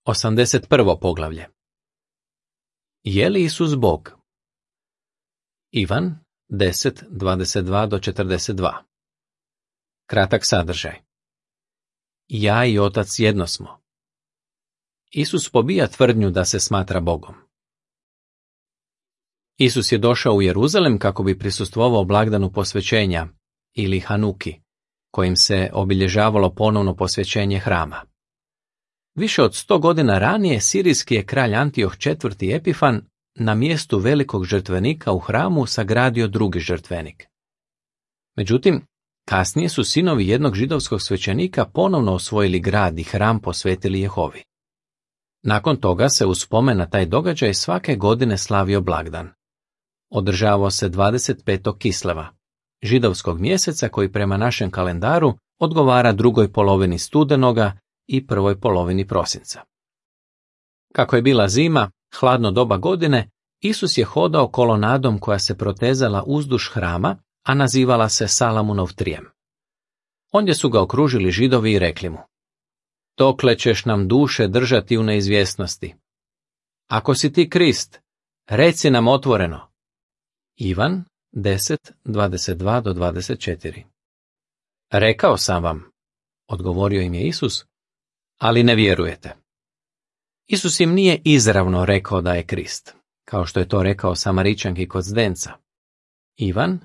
81. poglavlje. Je li Isus Bog? Ivan 10:22-42. Kratak sadržaj. Ja i Otac jedno smo. Isus pobija tvrdnju da se smatra Bogom. Isus je došao u Jeruzalem kako bi prisustvovao blagdanu posvećenja, ili Hanuki, kojim se obilježavalo ponovno posvećenje hrama. Više od 100 godina ranije sirijski je kralj Antioh IV. Epifan na mjestu velikog žrtvenika u hramu sagradio drugi žrtvenik. Međutim, kasnije su sinovi jednog židovskog svećenika ponovno osvojili grad i hram posvetili Jehovi. Nakon toga se u spomen na taj događaj svake godine slavio blagdan. Održavao se 25. Kisleva, židovskog mjeseca koji prema našem kalendaru odgovara drugoj polovini studenoga i prvoj polovini prosinca. Kako je bila zima, hladno doba godine, Isus je hodao kolonadom koja se protezala uzduž hrama, a nazivala se Salamunov trijem. Ondje su ga okružili Židovi i rekli mu: dokle ćeš nam duše držati u neizvjesnosti? Ako si ti Krist, reci nam otvoreno. Ivan 10:22-24. Rekao sam vam, odgovorio im je Isus, ali ne vjerujete. Isus im nije izravno rekao da je Krist, kao što je to rekao Samaričanki kod zdenca. Ivan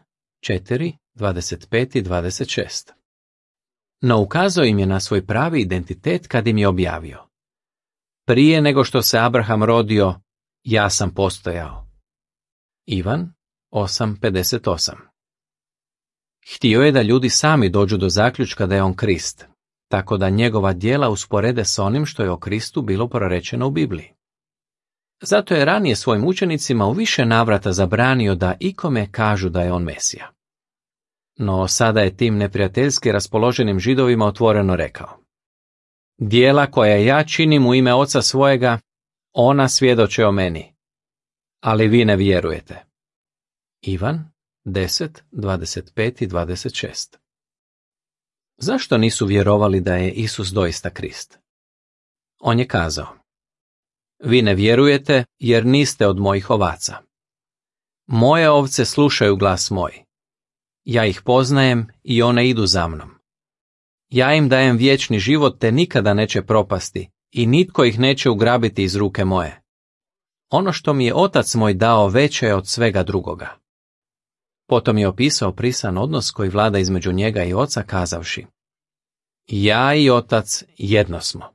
4:25-26. No ukazao im je na svoj pravi identitet kad im je objavio: prije nego što se Abraham rodio, ja sam postojao. Ivan 8:58. Htio je da ljudi sami dođu do zaključka da je on Krist, tako da njegova djela usporede s onim što je o Kristu bilo prorečeno u Bibliji. Zato je ranije svojim učenicima u više navrata zabranio da ikome kažu da je on Mesija. No sada je tim neprijateljski raspoloženim Židovima otvoreno rekao: djela koja ja činim u ime Oca svojega, ona svjedoče o meni, ali vi ne vjerujete. Ivan 10:25-26. Zašto nisu vjerovali da je Isus doista Krist? On je kazao: vi ne vjerujete jer niste od mojih ovaca. Moje ovce slušaju glas moj. Ja ih poznajem i one idu za mnom. Ja im dajem vječni život te nikada neće propasti i nitko ih neće ugrabiti iz ruke moje. Ono što mi je Otac moj dao veće je od svega drugoga. Potom je opisao prisan odnos koji vlada između njega i Oca kazavši: ja i Otac jedno smo.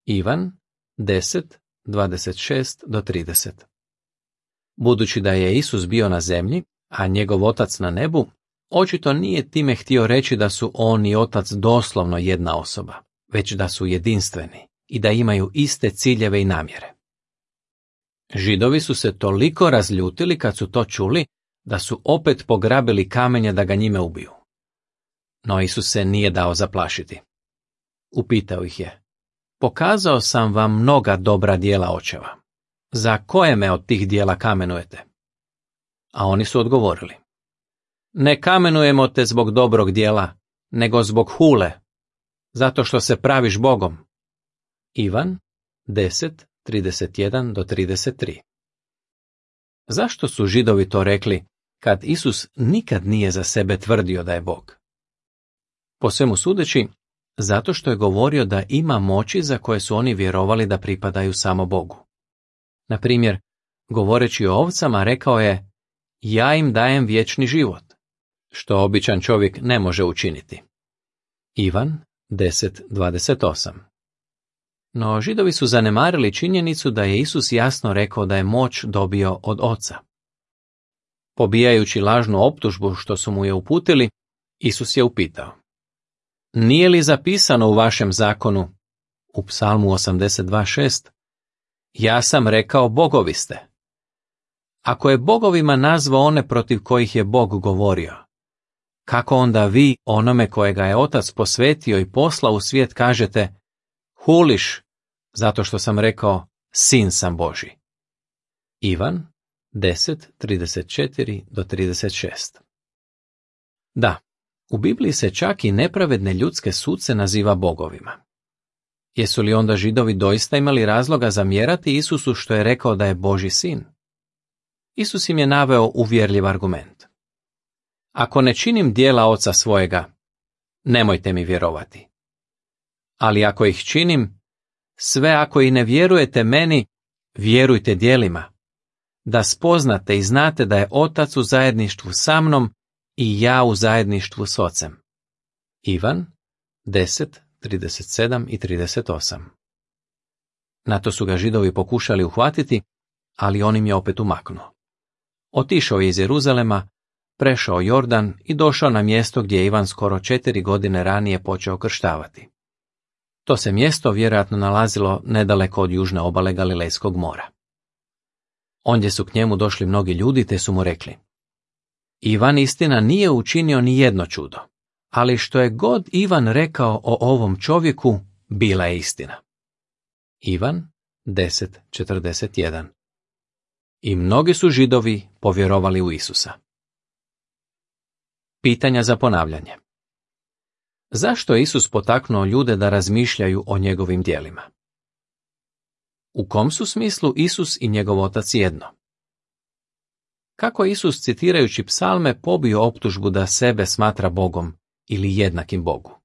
Ivan 10:26-30. Budući da je Isus bio na zemlji, a njegov Otac na nebu, očito nije time htio reći da su on i Otac doslovno jedna osoba, već da su jedinstveni i da imaju iste ciljeve i namjere. Židovi su se toliko razljutili kad su to čuli, da su opet pograbili kamenje da ga njime ubiju. No Isus se nije dao zaplašiti. Upitao ih je: pokazao sam vam mnoga dobra djela očeva. Za koje me od tih djela kamenujete? A oni su odgovorili: ne kamenujemo te zbog dobrog djela, nego zbog hule, zato što se praviš Bogom. Ivan 10:31-33. Zašto su Židovi to rekli, kad Isus nikad nije za sebe tvrdio da je Bog? Po svemu sudeći, zato što je govorio da ima moći za koje su oni vjerovali da pripadaju samo Bogu. Na primjer, govoreći o ovcama rekao je: ja im dajem vječni život, što običan čovjek ne može učiniti. Ivan 10:28. No Židovi su zanemarili činjenicu da je Isus jasno rekao da je moć dobio od Oca. Pobijajući lažnu optužbu što su mu je uputili, Isus je upitao: nije li zapisano u vašem zakonu, u Psalmu 82:6, ja sam rekao bogovi ste? Ako je bogovima nazvao one protiv kojih je Bog govorio, kako onda vi onome kojega je Otac posvetio i poslao u svijet kažete: huliš, zato što sam rekao sin sam Božji? Ivan 10:34-36. Da, u Bibliji se čak i nepravedne ljudske suce naziva bogovima. Jesu li onda Židovi doista imali razloga zamjerati Isusu što je rekao da je Božji sin? Isus im je naveo uvjerljiv argument. Ako ne činim djela oca svojega, nemojte mi vjerovati. Ali ako ih činim, sve ako i ne vjerujete meni, vjerujte djelima, da spoznate i znate da je Otac u zajedništvu sa mnom i ja u zajedništvu s Ocem. Ivan 10:37 i 38. Na to su ga Židovi pokušali uhvatiti, ali on im je opet umaknuo. Otišao je iz Jeruzalema, prešao Jordan i došao na mjesto gdje je Ivan skoro 4 godine ranije počeo krštavati. To se mjesto vjerojatno nalazilo nedaleko od južne obale Galilejskog mora. Ondje su k njemu došli mnogi ljudi te su mu rekli: Ivan istina nije učinio ni jedno čudo, ali što je god Ivan rekao o ovom čovjeku, bila je istina. Ivan 10:41. I mnogi su Židovi povjerovali u Isusa. Pitanja za ponavljanje. Zašto je Isus potaknuo ljude da razmišljaju o njegovim djelima? U kom su smislu Isus i njegov otac jedno? Kako je Isus, citirajući psalme, pobio optužbu da sebe smatra Bogom ili jednakim Bogu?